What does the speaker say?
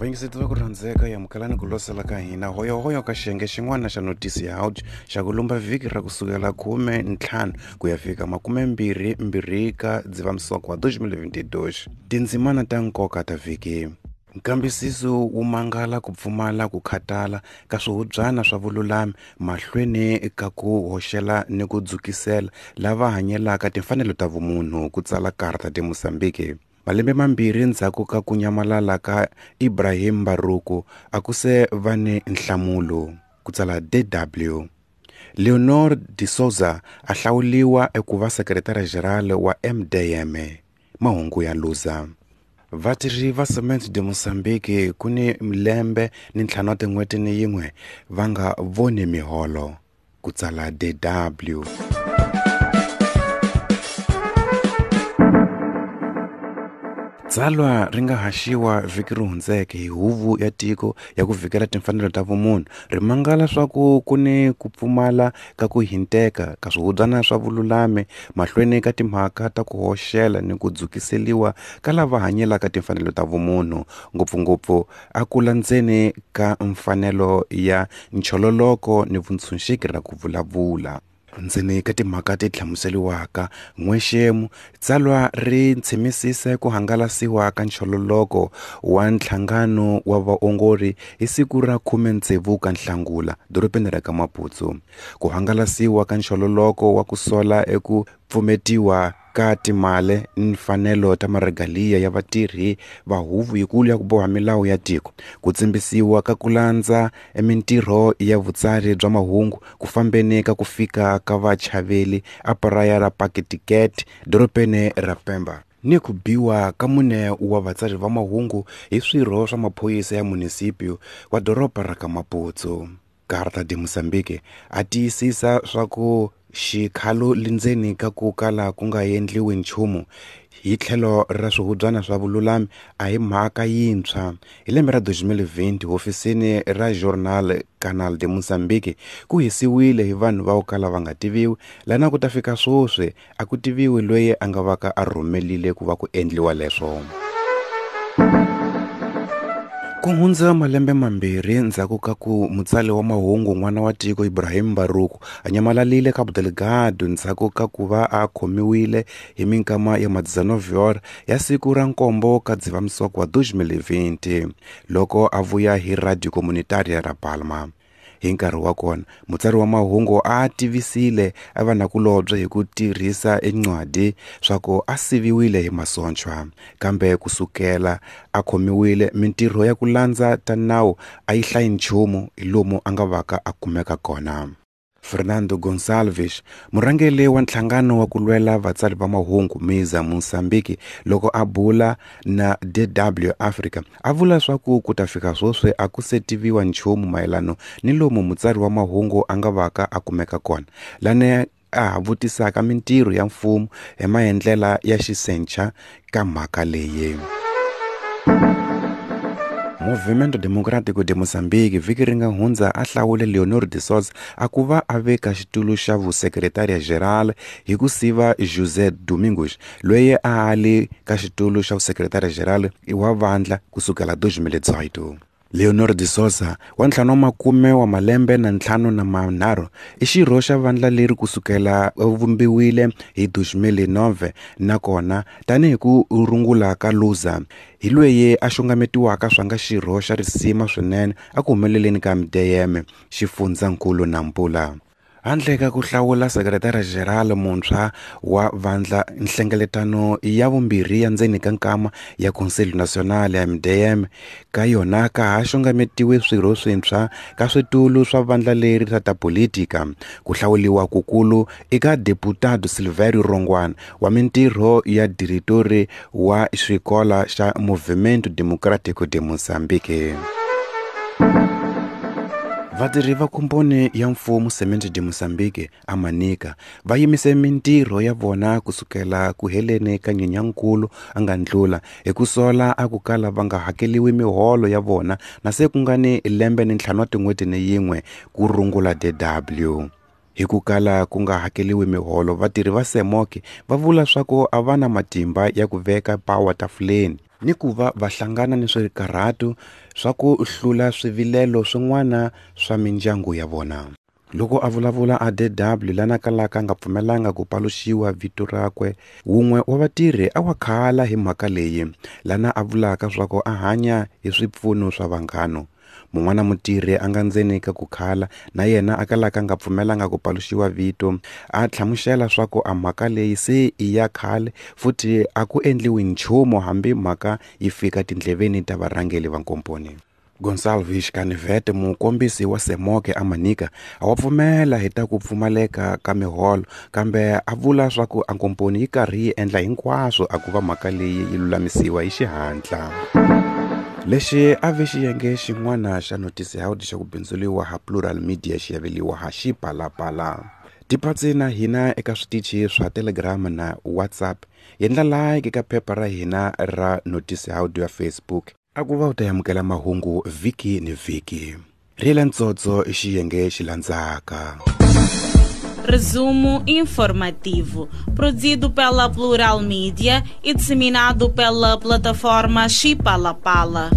Vayingiseti va ku rhandzeka, amukelani ku losela ka hina hoyohoyo ka xiyenge xin'wana xa notisi ya out xa ku lumba vhiki ra kusukela 15 ku ya fika 22 ka Dzivamisoko wa 2022. Tindzimana ta nkoka ta vhiki. Nkambisiso wu mangala ku pfumala ku khatala ka swihubyana swa vululami mahlweni ka ku hoxela ni ku dzukisela lava hanyelaka timfanelo ta vumunhu, ku tsala Carta de Mozambique. Malembe mambirhi ndzhaku ka ku nyamalala ka Ibrahim Mbaruku a ku se va ni nhlamulo, ku tsala DW. Leonor de Souza a hlawuliwa eku va sekretara-jenerali wa MDM. Mahungu ya Luza. Vatirhi va Cement de Mozambique ku ni lembe ni ntlhanu wa tin'hweti ni yin'we va nga voni miholo, ku tsala DW. Tsalwa ri nga haxiwa vhiki ri hundzeke hi Huvo ya Tiko ya ku Vhikela Timfanelo ta Vumunhu ri mangala swa ku ku ni ku pfumala ka ku hinteka ka swihubyana swa vululami mahlweni ka timhaka ta ku hoxela ni ku dzukiseliwa ka lava hanyelaka timfanelo ta vumunhu, ngopfungopfu a ku landzeni ka mfanelo ya nchololoko ni vuntshunxeki ra ku vulavula. Ndzeni ka timhaka ti hlamuseliwaka n'wexemu, tsalwa ri tshimisise ku hangalasiwa ka nchololoko wa nhlangano wa vaongori hi siku ra 16 ka Nhlangula dorobeni ra ka Maputo. Ku hangalasiwa ka nchololoko wa ku sola eku pfumetiwa ka timali ni mfanelo ta maregaliya ya vatirhi va huvo yikulu ya ku boha milawu ya tiko, ku tsimbisiwa ka ku landza mintirho ya vutsari bya mahungu ku fambeni ka ku fika ka vachaveli a paraya ra Pakitiket dorobeni ra Pemba, ni ku biwa ka mune wa vatsari va mahungu hi swirho swa maphorisa ya munisipio wa doroba ra ka Maputo. Carta de Mozambique a tiyisisa swa ku xikhalo lindzeni ka ku kala ku nga endliwi nchumu hi tlhelo ra swihubyana swa vululami a hi mhaka yintshwa. Hi lembe ra 2020 hofisini ra Journal Canal de Mozambique ku hisiwile hi vanhu va ku kala va nga tiviwi, lana ku ta fika swoswi a ku tiviwi loyi a nga vaka a rhumelile ku va ku endliwa leswo. Ku hundza malembe mambirhi ndzhaku ka ku mutsali wa mahungu n'wana wa tiko Ibrahim Mbaruku a nyamalalile Cabo Delgado ndzhaku ka ku va a khomiwile hi minkama ya madzana ya siku ra nkombo ka Dzivamisoko wa 2020 loko a vuya hi Radio Comunitaria ra Palma. Hi nkarhi wa kona, mutsari wa mahungu a tivisile a vanakulobye hi ku tirhisa encwadi swa ku a siviwile hi masochwa, kambe kusukela a khomiwile mintirho ya ku landza ta nawu a yi hlayi nchumu hi lomu a nga vaka a kumeka kona. Fernando Gonçalves, murhangeri wa nhlangano wa ku lwela vatsari va mahungu Miza Mozambique, loko a bula na DW Africa, a vula swa ku ku ta fika swoswi a ku se tiviwa nchumu mayelano ni lomu mutsari wa mahungu a nga vaka a kumeka kona, lani a ha vutisaka mintirho ya mfumo hi maendlela ya xisencha ka mhaka leyi. Movimento Democrático de Mozambique vhiki ri nga hundza a hlawule Leonor de Souza a ku va a veka xitulu xa vusekretariya geral hi ku siva José Domingos, loyi a ali ka xitulu xa vusekretariya geral wa vandla kusukela 2018. Leonor de Souza wa 50 wa malembe na 53 i xirho xa vandla leri kusukela vumbiwile hi 2009, nakona tanihi ku rungula ka Luza hi loyi a xungametiwaka swa nga xirho xa risima swinene a ku humeleleni ka MDM xifundzankulu Nampula. Handle ka ku hlawula sekretara-jenerali muntshwa wa vandla, nhlengeletano ya vumbirhi ya ndzeni ka nkama ya Conselho Nacional ya MDM ka yona ka ha xungametiwe swirho swintshwa ka switulu swa vandla leri ra ta politika. Ku hlawuliwa kukulu eka Deputado Silvério Rongwana wa mintirho ya diretori wa xikola xa Movimento Democrático de Mozambique. Vatirhi va komponi ya mfumo Cement de Mozambique a Manica va yimise mintirho ya vona kusukela ku heleni ka Nyenyankulu a nga ndlula hi ku sola a ku kala va nga hakeliwi miholo ya vona na se ku nga ni lembe ni ntlhanu wa tin'hweti ni yin'we ku rungula DW. Hi ku kala ku nga hakeliwi miholo, vatirhi va Semoke va vula swa ku a va na matimba ya ku veka pawa tafuleni. Ni ku va va hlangana ni swikarhatu swa ku hlula swivilelo swin'wana swa mindyangu ya vona. Loko a vulavula a DW lana kalaka a nga pfumelanga ku paluxiwa vito rakwe, wun'we wa vatirhi a wa khala hi mhaka leyi, lana a vulaka swa ku a hanya hi swipfuno swa vanghano. Mun'wana mutirhi a nga ndzeni ka ku khala na yena a kalaka a nga pfumelanga ku paluxiwa vito, a hlamusela swa ku a mhaka leyi se i ya khale futhi a ku endliwi nchumu hambi mhaka yi fika tindleveni ta varhangeli va nkomponi. Gonçalves Canivete, mukombisi wa Semoke a Manica, a wa pfumela hi ta ku pfumaleka ka miholo, kambe a vula swa ku a nkomponi yi karhi yi endla hinkwaswo a ku va mhaka leyi yi lulamisiwa hi xihatla. Lexi a ve xiyenge xin'wana xa Notice Howdy xa ku bindzuriwa ha Plural Media xi yaveliwa ha Xipalapala. Tipatsi na hina eka switichi swa Telegram na WhatsApp. Yendla like eka phepha ra hina ra Notice Howdy ya Facebook. A ku va u ta amukela mahungu vhiki ni vhiki. Rila ntsotso i xiyenge xi landzaka. Resumo informativo, produzido pela Plural Mídia e disseminado pela plataforma Chipalapala.